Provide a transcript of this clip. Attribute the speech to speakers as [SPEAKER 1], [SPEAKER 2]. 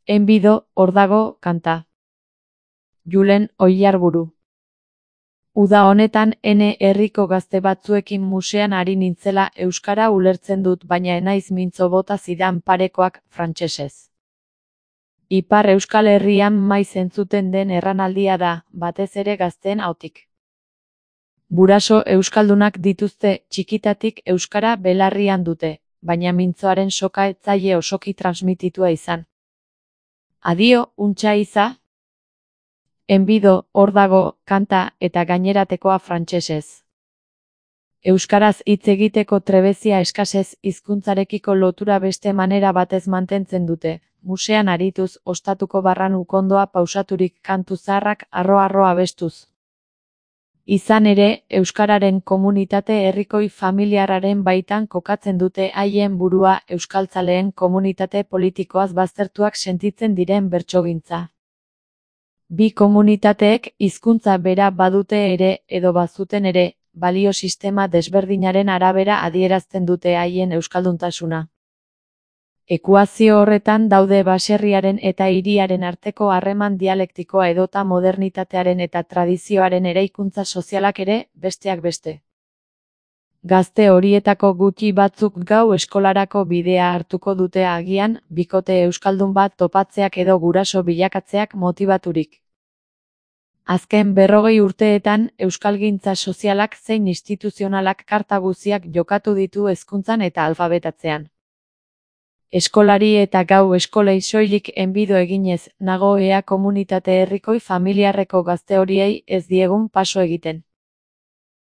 [SPEAKER 1] Enbido, hor dago, kanta. Julen Oiarburu. Uda honetan ene herriko gazte batzuekin musean ari nintzela euskara ulertzen dut baina enaiz mintzo bota zidan parekoak frantsesez. Ipar Euskal Herrian maiz entzuten den erranaldia da, batez ere gazteen ahotik. Guraso euskaldunak dituzte, txikitatik euskara belarrian dute, baina mintzoaren soka ez zaie osoki transmititua izan. Adio, untxa iza? Enbido, hor dago, kanta eta gaineratekoa frantsesez. Euskaraz hitz egiteko trebezia eskasez hizkuntzarekiko lotura beste manera batez mantentzen dute, musean arituz, ostatuko barran ukondoa pausaturik kantu zaharrak arro-arro abestuz. Izan ere, euskararen komunitate herrikoi familiarraren baitan kokatzen dute haien burua euskaltzaleen komunitate politikoaz baztertuak sentitzen diren bertsogintza. Bi komunitateek hizkuntza bera badute ere edo bazuten ere, balio sistema desberdinaren arabera adierazten dute haien euskalduntasuna. Ekuazio horretan daude baserriaren eta hiriaren arteko harreman dialektikoa edota modernitatearen eta tradizioaren eraikuntza sozialak ere, besteak beste. Gazte horietako gutxi batzuk gau eskolarako bidea hartuko dute agian, bikote euskaldun bat topatzeak edo guraso bilakatzeak motibaturik. Azken 40 urteetan, euskalgintza sozialak zein instituzionalak karta guziak jokatu ditu hezkuntzan eta alfabetatzean. Eskolari eta gau eskolei soilik enbido eginez, nago ea komunitate herrikoi familiarreko gazte horiei ez diegun paso egiten.